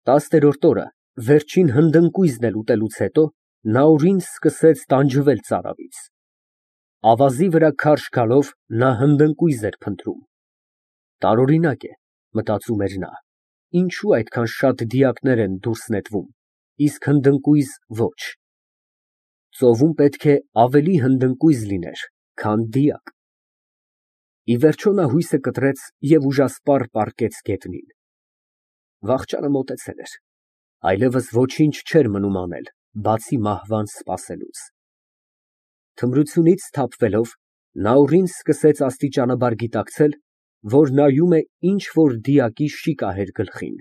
10-րդ օրը վերջին հնդընկույզն էլ ուտելուց հետո Նաուրին սկսեց տանջվել ծարավից։ Ավազի վրա քարշ գալով նա հնդընկույզ էր փնտրում։ Տարօրինակ է, մտածում էր նա, ինչու այդքան շատ դիակներ են դուրս նետվում, իսկ հնդընկույզ ոչ։ Ծովում պետք է ավելի հնդընկույզ լիներ, քան դիակ։ Ի վերջո նա հույսը կտրեց և ուժասպառ պառկեց գետնին։ Վախճանը մոտեցել էր, այլևս ոչինչ չէր մնում անել, բացի մահվան սպասելուց։ Թմրությունից սթափվելով, Նաուրին սկսեց աստիճանաբար գիտակցել, որ նայում է ինչ֊որ դիակի շիկահեր գլխին։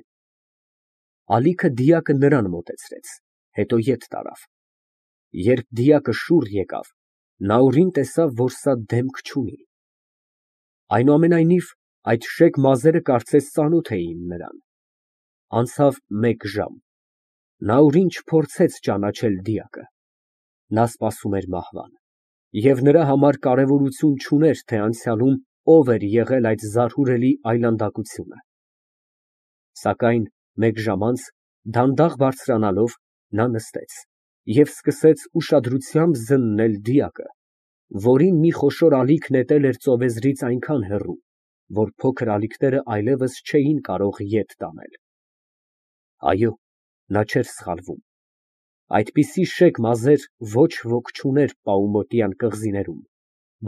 Ալիքը դիակը նրան մոտեցրեց, հետո ետ տարավ։ Երբ դիակը շուռ եկավ, Նաուրին տեսավ, որ սա դեմք չունի։ Այնուամենայնիվ, այդ շեկ մազերը կարծես ծանոթ էին նրան։ Անցավ մեկ ժամ, Նաուրին չփորձեց ճանաչել դիակը։ Նա սպասում էր մահվան, և նրա համար կարևորություն չուներ, թե անցյալում ով էր եղել այդ զարհուրելի այլանդակությունը։ Սակայն մեկ ժամ անց, դանդաղ բարձրանալով, նա նստեց և սկսեց ուշադրությամբ զննել դիակը, որին մի խոշոր ալիք նետել էր ծովեզրից այնքան հեռու, որ փոքր ալիքները այլևս չէին կարող ետ տանել։ Այո, նա չէր սխալվում, այդպիսի շեկ մազեր ոչ ոք չուներ Պաումոտյան կղզիներում,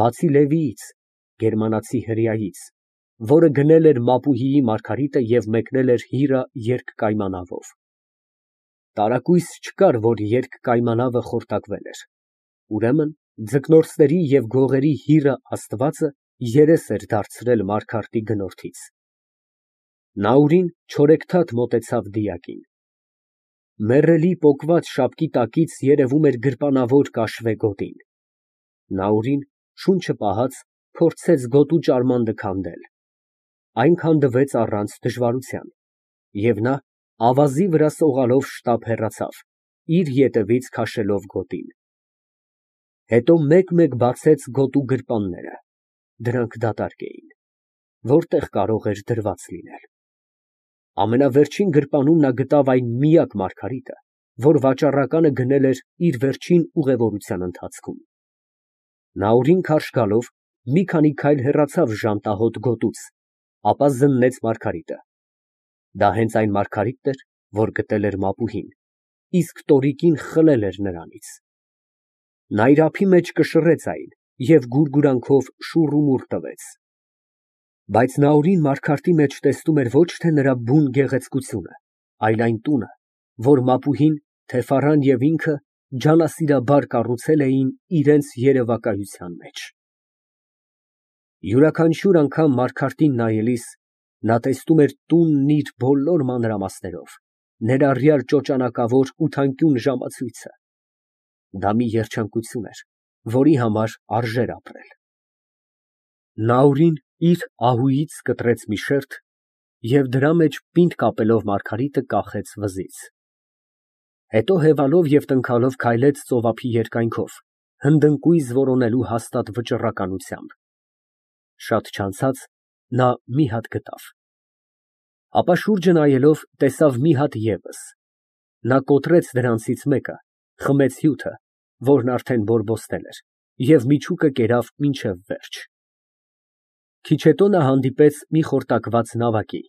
բացի Լևիից, գերմանացի հրեայից, որը գնել էր Մապուհիի Մարգարիտը և մեկնել էր հիրը երկկայմանավով։ Տարակույս չկար, որ երկկայմանավը խորտակվել էր։ Ուրեմն ձկնորսների և գողերի հիրը Աստվածը երես էր դարձրել Մարգարտի գնորդից։ Նաուրին չորեքթաթ մոտեցավ դիակին։ Մեռելի պոկված շապկի տակից երևում էր գրպանավոր կաշվե գոտին։ Նաուրին, շունչը պահած, փորձեց գոտու ճարմանքը քանդել։ Այն քանդվեց առանց դժվարության, և նա ավազի վրա սողալով շտապ հեռացավ, իր ետևից քաշելով գոտին։ Հետո մեկ֊մեկ բացեց գոտու գրպանները, դրանք դատարկ էին, որտեղ կարող էր դրված լինել։ Ամենավերջին գրպանում նա գտավ այն միակ Մարգարիտը, որ վաճառականը գնել էր իր վերջին ուղևորության ընթացքում։ Նաուրին քարշ գալով, մի քանի քայլ հեռացավ ժանտահոտ գոտուց, ապա զննեց Մարգարիտը։ Դա հենց այն Մարգարիտն էր, որ գտել էր Մապուհին, իսկ տորիկին խլել էր նրանից։ Նա իր ափի մեջ կշռեց այն և գուրգուրանքով շուռումուռ տվեց։ Բայց Նաուրին Մարգարտի մեջ տեսնում էր ոչ թե նրա բուն գեղեցկությունը, այլ այն տունը, որ Մապուհին, թեֆառան և ինքը ջանասիրաբար կառուցել էին իրենց երևակայության մեջ։ Յուրաքանչյուր անգամ Մարգարտին նայելիս, նա տեսնում էր տունն իր բոլոր մանրամասներով, ներառյալ ճոճանակավոր ութանկյուն ժամացույցը։ Դա մի երջանկություն էր, որի համար արժեր ապրել։ Նաուրին իր ահույից կտրեց մի շերտ և դրա մեջ պինդ կապելով Մարգարիտը կախեց վզից։ Հետո հևալով և տնքալով քայլեց ծովափի երկայնքով, հնդընկույզ որոնելու հաստատ վճռականությամբ։ Շատ չանցած նա մի հատ գտավ։ Ապա շուրջը նայելով, տեսավ մի հատ ևս։ Նա կոտրեց դրանցից մեկը, խմեց հյութը, որն արդեն բորբոստել էր, և միջուկը կերավ մինչև վերջ։ Քիչ հետո նա հանդիպեց մի խորտակված նավակի,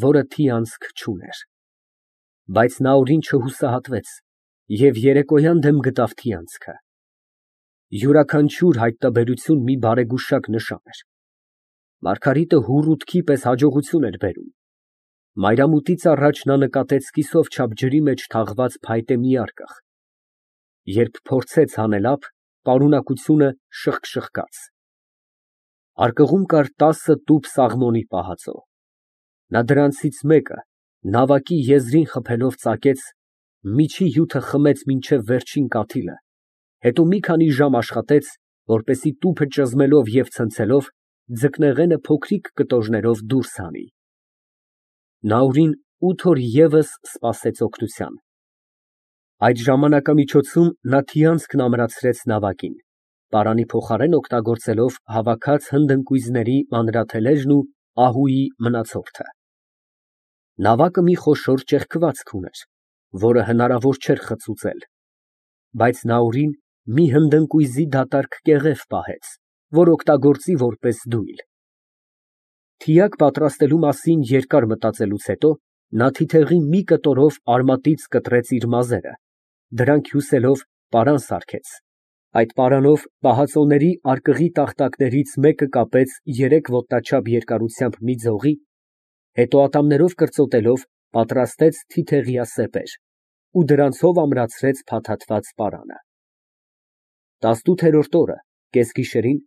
որը թիանցք չուներ։ Բայց Նաուրին չհուսահատվեց և երեկոյան դեմ գտավ թիանցքը։ Յուրաքանչյուր հայտնաբերություն մի բարեգուշակ նշան էր։ Մարգարիտը հուռ ութքի պես հաջողություն էր բերում։ Մայրամուտից առաջ նա նկատեց կիսով չափ ջրի մեջ թաղված փայտե մի արկղ։ Երբ փորձեց հանել ափ, պարունակությունը շըխկշըխկաց։ Արկղում կար 10 տուփ սաղմոնի պահածո։ Նա դրանցից մեկը նավակի եզրին խփելով ծակեց, միջի հյութը խմեց մինչև վերջին կաթիլը, հետո մի քանի ժամ աշխատեց, որպեսզի տուփը ճզմելով և ցնցելով, ձկնեղենը փոքրիկ կտորներով դուրս հանի։ Նաուրին 8 օր ևս սպասեց օգնության։ Այդ ժամանակամիջոցում նա թիանցքն ամրացրեց նավակին, պարանի փոխարեն օգտագործելով հավաքած հնդընկույզների մանրաթելերն ու ահույի մնացորդը։ Նավակը մի խոշոր ճեղքվածք ուներ, որը հնարավոր չէր խցուցել, բայց Նաուրին մի հնդընկույզի դատարկ կեղև պահեց, որ օգտագործի որպես դույլ։ Թիակ պատրաստելու մասին երկար մտածելուց հետո նա թիթեղի մի կտորով արմատից կտրեց իր մազերը, դրանք հյուսելով պարան սարքեց, այդ պարանով պահածոների արկղի տախտակներից մեկը կապեց 3 ոտնաչափ երկարությամբ մի ձողի, հետո ատամներով կրծոտելով պատրաստեց թիթեղյա սեպեր ու դրանցով ամրացրեց փաթաթված պարանը։ 18-րդ օրը կեսգիշերին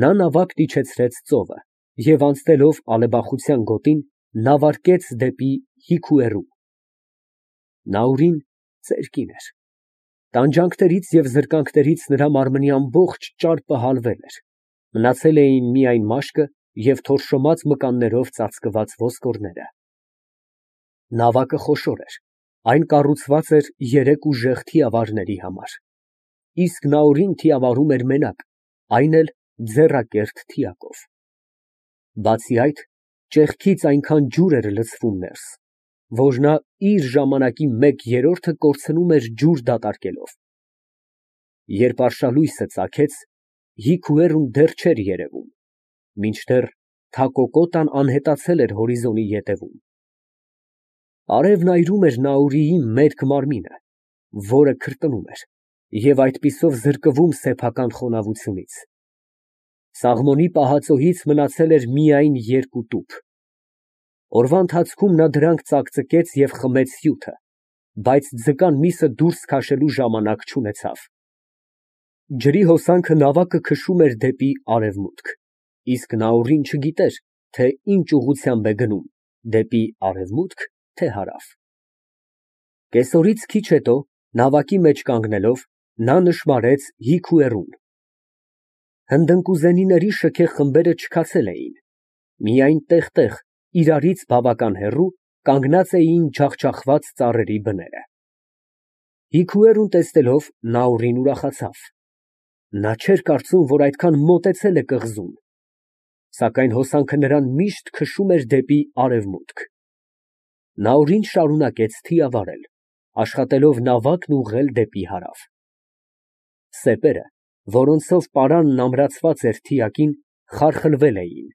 նա նավակն իջեցրեց ծովը և անցնելով ալեբախության գոտին նավարկեց դեպի Հիքուերու։ Նաուրին ծեր կին էր։ Տանջանքներից և զրկանքներից նրա մարմնի ամբողջ ճարպը հալվել էր, մնացել էին միայն մաշկը և թորշոմած մկաններով ծածկված ոսկորները։ Նավակը խոշոր էր, այն կառուցված էր 3 ուժեղ թիավարների համար, իսկ Նաուրին թիավարում էր մենակ, այն էլ ձեռակերտ թիակով։ Բացի այդ, ճեղքից այնքան ջուր էր լցվում ներս, որ նա իր ժամանակի 1/3-ը կորցնում էր ջուր դատարկելով։ Երբ արշալույսը ծագեց, Հիքուերուն դեռ չէր երևում, մինչդեռ Թակոկոտան անհետացել էր հորիզոնի ետևում։ Արևն այրում էր Նաուրիի մերկ մարմինը, որը քրտնում էր և այդպիսով զրկվում սեփական խոնավությունից։ Սաղմոնի պահածոյից մնացել էր միայն 2 տուփ։ Օրվա ընթացքում նա դրանք ծակծկեց և խմեց հյութը, բայց ձկան միսը դուրս քաշելու ժամանակ չունեցավ։ Ջրի հոսանքը նավակը քշում էր դեպի արևմուտք, իսկ Նաուրին չգիտեր, թե ինչ ուղղությամբ է գնում՝ դեպի արևմուտք, թե հարավ։ Կեսօրից քիչ հետո, նավակի մեջ կանգնելով, նա նշմարեց Հիքուերուն։ Հնդընկուզենիների շքեղ խմբերը չքացել էին, միայն տեղ֊տեղ, իրարից բավական հեռու, կանգնած էին ջախջախված ծառերի բները։ Հիքուերուն տեսնելով Նաուրին ուրախացավ։ Նա չէր կարծում, որ այդքան մոտեցել է կղզուն, սակայն հոսանքը նրան միշտ քշում էր դեպի արևմուտք։ Նաուրին շարունակեց թիավարել, աշխատելով նավակն ուղղել դեպի հարավ։ Սեպերը, որոնցով պարանն ամրացված էր թիակին, խարխլվել էին,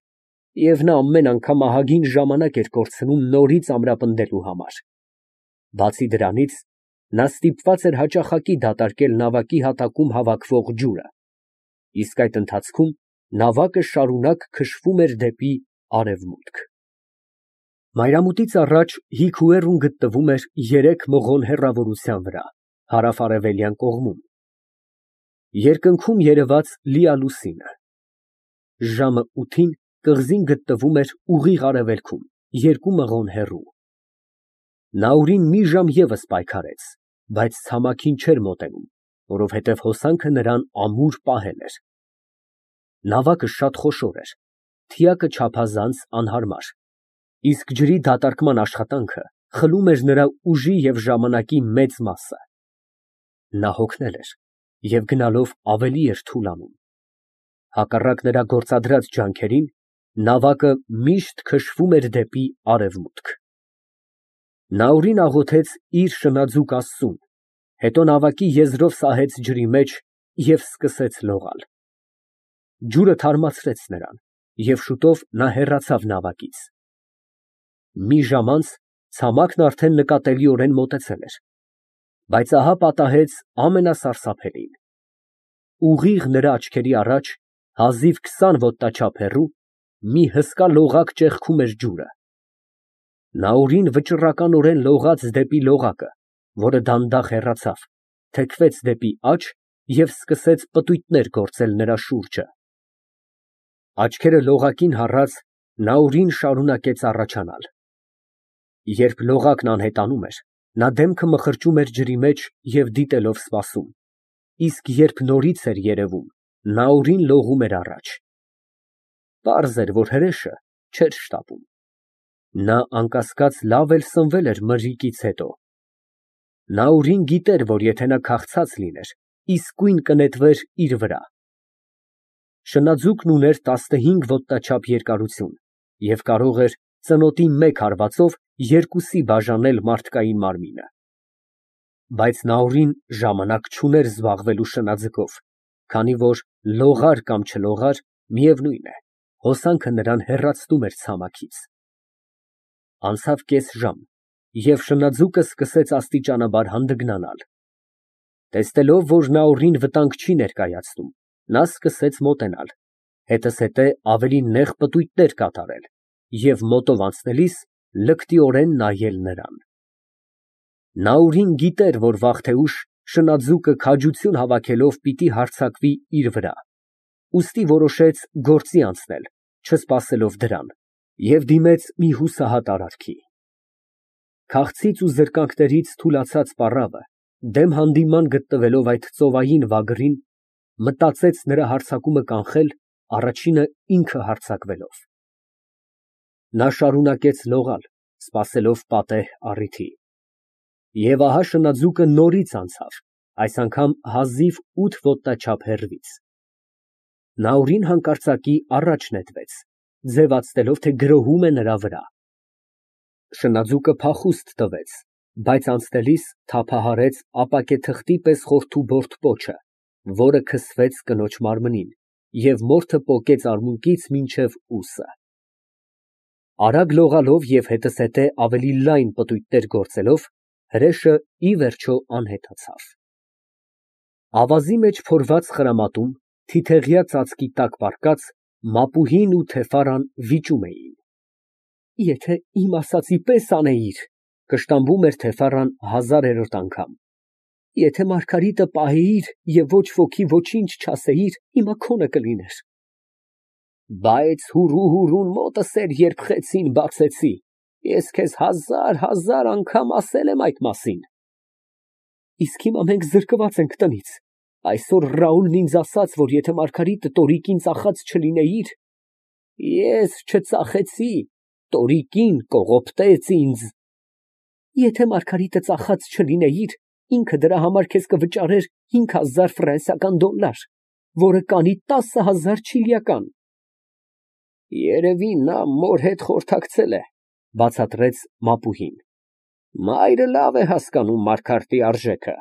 և նա ամեն անգամ ահագին ժամանակ էր կորցնում նորից ամրապնդելու համար։ Բացի դրանից, նա ստիպված էր հաճախակի դատարկել նավակի հատակում հավաքվող ջուրը, իսկ այդ ընթացքում նավակը շարունակ քշվում էր դեպի արևմուտք։ Մայրամուտից առաջ Հիքուերուն գտնվում էր 3 մղոն հեռավորության վրա, հարավ֊արևելյան կողմում։ Երկնքում երևաց լիալուսինը։ Ժամը 8-ին կղզին գտնվում էր ուղիղ արևելքում, 2 մղոն հեռու։ Նաուրին մի ժամ ևս պայքարեց, բայց ցամաքին չէր մոտենում, որովհետև հոսանքը նրան ամուր պահել էր։ Նավակը շատ խոշոր էր, թիակը չափազանց անհարմար, իսկ ջրի դատարկման աշխատանքը խլում էր նրա ուժի և ժամանակի մեծ մասը։ Նա հոգնել էր և գնալով ավելի էր թուլանում։ Հակառակ նրա գործադրած ջանքերին, նավակը միշտ քշվում էր դեպի արևմուտք։ Նաուրին աղոթեց իր շնաձուկ Աստծուն, հետո նավակի եզրով սահեց ջրի մեջ և սկսեց լողալ։ Ջուրը թարմացրեց նրան, և շուտով նա հեռացավ նավակից։ Մի ժամ անց ցամաքն արդեն նկատելիորեն մոտեցել էր, բայց ահա պատահեց ամենասարսափելին. ուղիղ նրա աչքերի առաջ, հազիվ 20 ոտնաչափ հեռու, մի հսկա լողակ ճեղքում էր ջուրը։ Նաուրին վճռականորեն լողաց դեպի լողակը, որը դանդաղ հեռացավ, թեքվեց դեպի աջ և սկսեց պտույտներ գործել նրա շուրջը։ Աչքերը լողակին հառած, Նաուրին շարունակեց առաջանալ։ Երբ լողակն անհետանում էր, նա դեմքը մխրճում էր ջրի մեջ և դիտելով սպասում, իսկ երբ նորից էր երևում, Նաուրին լողում էր առաջ։ Պարզ էր, որ հրեշը չէր շտապում։ Նա անկասկած լավ էլ սնվել էր մրրիկից հետո։ Նաուրին գիտեր, որ եթե նա քաղցած լիներ, իսկույն կնետվեր իր վրա։ Շնաձուկն ուներ 15 ոտնաչափ երկարություն և կարող էր ծնոտի մեկ հարվածով երկուսի բաժանել մարդկային մարմինը։ Բայց Նաուրին ժամանակ չուներ զբաղվելու շնաձկով, քանի որ լողար կամ չլողար, միևնույն է, հոսանքը նրան հեռացնում էր ցամաքից։ Անցավ կես ժամ, և շնաձուկը սկսեց աստիճանաբար հանդգնանալ։ Տեսնելով, որ Նաուրին վտանգ չի ներկայացնում, նա սկսեց մոտենալ, հետզհետե ավելի նեղ պտույտներ կատարել և մոտով անցնելիս լկտիորեն նայել նրան։ Նաուրին գիտեր, որ վաղ թե ուշ շնաձուկը քաջություն հավաքելով պիտի հարձակվի իր վրա, ուստի որոշեց գործի անցնել, չսպասելով դրան, և դիմեց մի հուսահատ արարքի։ Քաղցից ու զրկանքներից թուլացած պառավը, դեմ հանդիման գտնվելով այդ ծովային վագրին, մտածեց նրա հարձակումը կանխել, առաջինը ինքը հարձակվելով։ Նա շարունակեց լողալ, սպասելով պատեհ առիթի։ Եվ ահա շնաձուկը նորից անցավ, այս անգամ հազիվ 8 ոտնաչափ հեռվից։ Նաուրին հանկարծակի առաջ նետվեց, ձևացնելով, թե գրոհում է նրա վրա։ Շնաձուկը փախուստ տվեց, բայց անցնելիս թափահարեց ապակե թղթի պես խորթուբորթ պոչը, որը քսվեց կնոջ մարմնին, և մորթը պոկեց արմունկից մինչև ուսը։ Արագ լողալով և հետզհետե ավելի լայն պտույտներ գործելով, հրեշը ի վերջո անհետացավ։ Ավազի մեջ փորված խրամատում, թիթեղյա ծածկի տակ պառկած, Մապուհին ու Թեֆարան վիճում էին։ Եթե իմ ասածի պես անեիր, կշտամբում էր Թեֆարան 1000-րդ անգամ, եթե Մարգարիտը պահեիր և ոչ ոքի ոչինչ չասեիր, հիմա քոնը կլիներ։ Բայց հուրուն մոտս էր, երբ խեցին բացեցի, ես քեզ 1000 անգամ ասել եմ այդ մասին։ Իսկ հիմա մենք զրկված ենք տնից, այսօր Ռաուլն ինձ ասաց, որ եթե Մարգարիտը տորիկին ծախած չլինեիր, ես չծախեցի, տորիկին կողոպտեց ինձ։ Եթե Մարգարիտը ծախած չլինեիր, ինքը դրա համար քեզ կվճարեր 5000 ֆրանսիական դոլար, որը կանի 10000 չիլիական։ Երևի նա մոր հետ խորհրդակցել է, բացատրեց Մապուհին։ Մայրը լավ է հասկանում Մարգարտի արժեքը։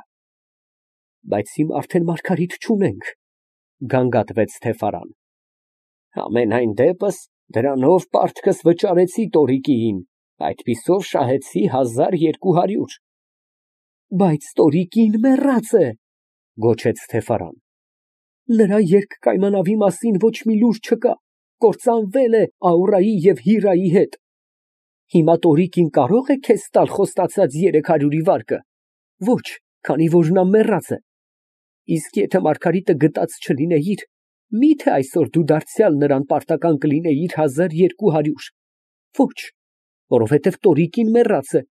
Բայց հիմա արդեն Մարգարիտ չունենք, գանգատվեց Թեֆարան։ Համենայն դեպս դրանով պարտքս վճարեցի տորիկիին, այդպիսով շահեցի 1200։ Բայց տորիկին մեռած է, գոչեց Թեֆարան։ Նրա երկկայմանավի մասին ոչ մի լուր չկա, կործանվել է Աուրայի և Հիրայի հետ։ Հիմա տորիկին կարո՞ղ է քեզ տալ խոստացած 300-ի վարկը։ Ոչ, քանի որ նա մեռած է։ Իսկ եթե Մարգարիտը գտած չլինեիր, մի՞թե այսօր դու դարձյալ նրան պարտական կլինեիր 1200։ Ոչ, որովհետև տորիկին մեռած է,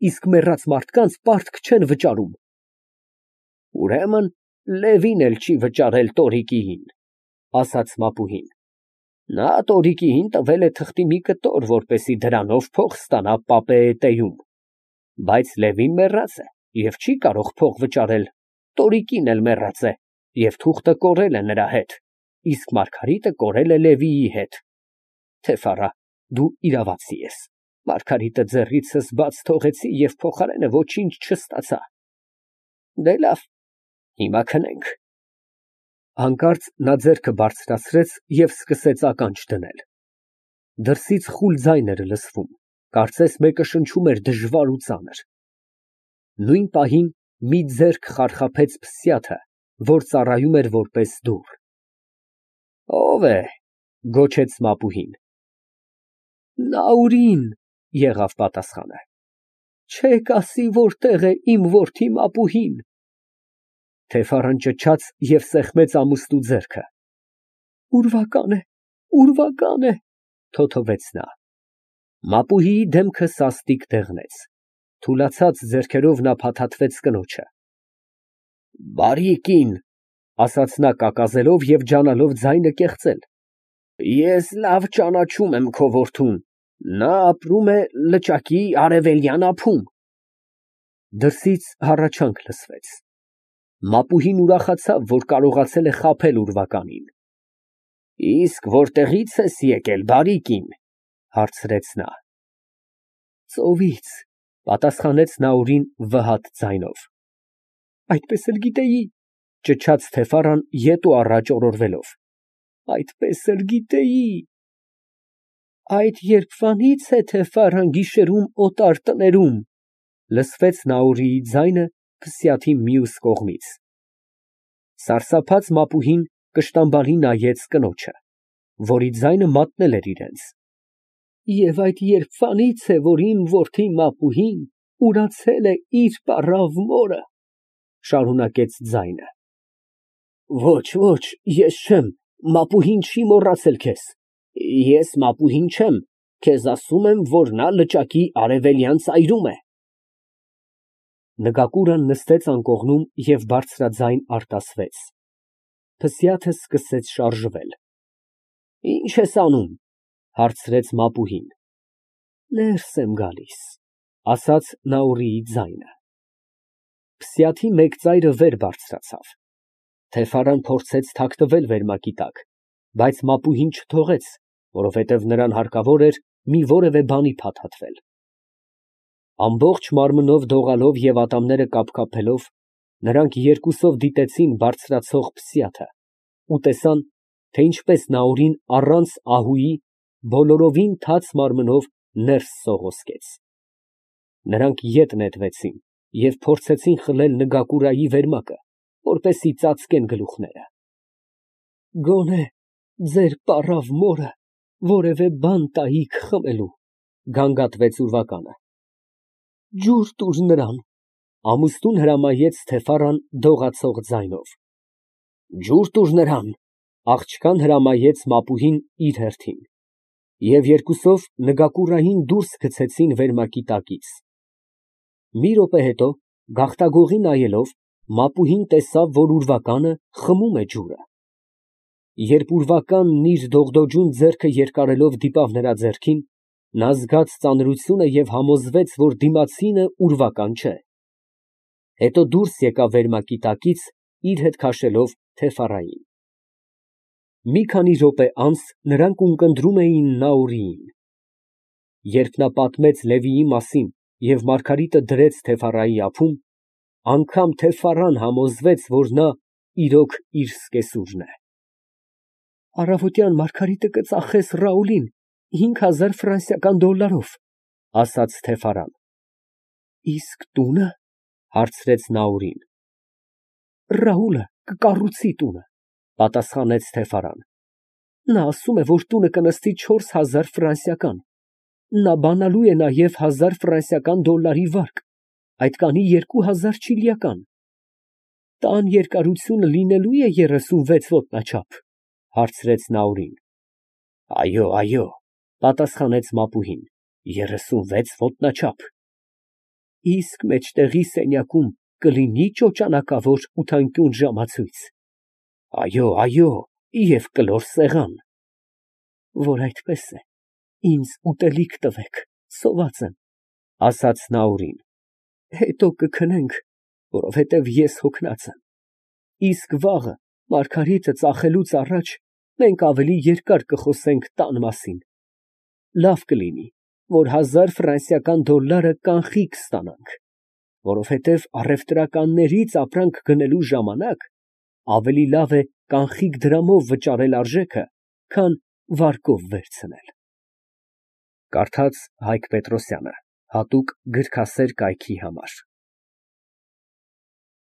իսկ մեռած մարդկանց պարտք չեն վճարում։ Ուրեմն Լևին էլ չի վճարել տորիկիին, ասաց Մապուհին։ Նա տորիկիին տվել է թղթի մի կտոր, որպեսզի դրանով փող ստանա Պապեետեում։ Բայց Լևին մեռած է և չի կարող փող վճարել, տորիկին էլ մեռած է, և թուղթը կորել է նրա հետ, իսկ Մարգարիտը կորել է Լևիի հետ։ Թեֆարա, դու իրավացի ես, Մարգարիտը ձեռիցս բաց թողեցի և փոխարենը ոչինչ չստացա։ Դե լավ, հիմա քնենք։ Հանկարծ նա ձեռքը բարձրացրեց և սկսեց ականջ դնել։ Դրսից խուլ ձայն էր լսվում, կարծես մեկը շնչում էր դժվար ու ծանր։ Նույն պահին մի ձեռք խարխափեց փսյաթը, որ ծառայում էր որպես դուռ։ Ո՞վ է, գոչեց Մապուհին։ Նաուրին, եղավ պատասխանը։ Չեք ասի որտեղ է իմ որդի Մապուհին։ Թեֆարան ճչաց և սեղմեց ամուստու ձեռքը։ Ուրվական է, թոթվեց նա։ Մապուհիի դեմքը սաստիկ դեղնեց, թուլացած ձեռքերով նա փաթաթվեց կնոջը։ Բարի կին, ասաց նա կակազելով և ջանալով ձայնը կեղծել, ես լավ ճանաչում եմ քո որդուն, նա ապրում է լճակի արևելյան ափում։ Դրսից հառաչանք լսվեց։ Մապուհին ուրախացավ, որ կարողացել է խաբել ուրվականին։ Իսկ որտեղի՞ց ես եկել, բարի կին, հարցրեց նա։ Ծովից, պատասխանեց Նաուրին վհատ ձայնով։ Այդպես էլ գիտեի, ճչաց Թեֆարան ետ ու առաջ օրորվելով։ Այդպես էլ գիտեի։ Այդ երբվանից է Թեֆարան գիշերում օտար տներում, լսվեց Նաուրիի ձայնը փսյաթի մյուս կողմից։ Սարսափած մապուհին կշտամբալի նայեց կնոջը, որի ձայնը մատնել էր իրենց։ Եվ այդ երբվանից է, որ իմ որդի մապուհին ուրացել է իր պառավ մորը, շարունակեց ձայնը։ Ոչ, ոչ, ես չեմ, մապուհին չի մոռացել քեզ։ Ես մապուհին չեմ, քեզ ասում եմ, որ նա լճակի արևելյան ծայրում է։ Նգակուրան նստեց անկողնում և բարձրաձայն արտասվեց։ Փսյաթը սկսեց շարժվել։ Ինչ ես անում, հարցրեց մապուհին։ Ներս եմ գալիս, ասաց Նաուրիի ձայնը։ Փսյաթի մեկ ծայրը վեր բարձրացավ։ Թեֆարան փորձեց թաքնվել վերմակի տակ, բայց մապուհին չթողեց, որովհետև նրան հարկավոր էր մի որևէ բանի փաթաթվել։ Ամբողջ մարմնով դողալով և ատամները կապկապելով, նրանք երկուսով դիտեցին բարձրացող Փսյաթը ու տեսան, թե ինչպես Նաուրին առանց ահուի բոլորովին թաց մարմնով ներս սողոսկեց։ Նրանք ետ նետվեցին և փորձեցին խլել Նգակուրայի վերմակը, որպեսզի ծածկեն գլուխները։ Գոնե ձեր պառավ մորը որևէ բան տայիք խմելու, գանգատվեց ուրվականը։ Ջուր տուր նրան, ամուսնուն հրամայեց Թեֆարան դողացող ձայնով։ Ջուր տուր նրան, աղջկան հրամայեց մապուհին իր հերթին, և երկուսով Նգակուրային դուրս գցեցին վերմակի տակից։ Մի րոպե հետո, գաղտագողի նայելով, մապուհին տեսավ, որ ուրվականը խմում է ջուրը։ Երբ ուրվականն իր դողդոջուն ձեռքը երկարելով դիպավ նրա ձեռքին, նա զգաց ծանրությունը և համոզվեց, որ դիմացինը ուրվական չէ։ Հետո դուրս եկավ վերմակի տակից, իր հետ քաշելով Թեֆարային։ Մի քանի րոպե անց նրանք ունկնդրում էին Նաուրիին։ Երբ նա պատմեց Լևիի մասին և Մարգարիտը դրեց Թեֆարայի ափում, անգամ Թեֆարան համոզվեց, որ նա իրոք իր սկեսուրն է։ Առավոտյան Մարգարիտը կծախես Ռաուլին 5000 ֆրանսիական դոլարով, ասաց Թեֆարան։ Իսկ տունը, հարցրեց Նաուրին։ Ռաուլը կկառուցի տունը, պատասխանեց Թեֆարան։ Նա ասում է, որ տունը կնստի 4000 ֆրանսիական։ Նա բանալու է նաև 1000 ֆրանսիական դոլարի վարկ, այդ կանի 2000 չիլիական։ Տան երկարությունը լինելու է 36 ոտնաչափ, հարցրեց Նաուրին։ Այո, այո, պատասխանեց մապուհին, 36 ոտնաչափ։ Իսկ մեջտեղի սենյակում կլինի ճոճանակավոր ութանկյուն ժամացույց։ Այո, այո, և կլոր սեղան։ Որ այդպես է, ինձ ուտելիք տվեք, սոված եմ, ասաց Նաուրին։ Հետո կքնենք, որովհետև ես հոգնած եմ։ Իսկ վաղը Մարգարիտը ծախելուց առաջ մենք ավելի երկար կխոսենք տան մասին։ Լավ կլինի, որ 1000 ֆրանսիական դոլարը կանխիկ ստանանք, որովհետև առևտրականներից ապրանք գնելու ժամանակ ավելի լավ է կանխիկ դրամով վճարել արժեքը, քան վարկով վերցնել։ Կարդաց Հայկ Պետրոսյանը, հատուկ գրքասեր կայքի համար։